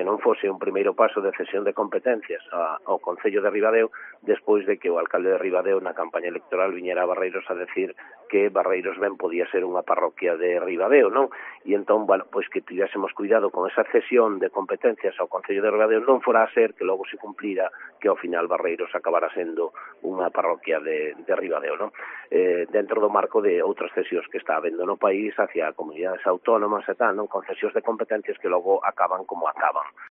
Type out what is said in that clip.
non fose un primeiro paso de cesión de competencias ao Concello de Ribadeo, despois de que o alcalde de Ribadeo na campaña electoral viñera a Barreiros a decir que Barreiros ben podía ser unha parroquia de Ribadeo, non? E entón, bueno, pois que tivésemos cuidado con esa cesión de competencias ao Concello de Ribadeo, non fora a ser que logo se cumplira que ao final Barreiros acabara sendo unha parroquia de Ribadeo, non? Dentro do marco de outras cesións que está habendo no país hacia comunidades autónomas e tal, non? Con cesións de competencias que logo acaban como acaban.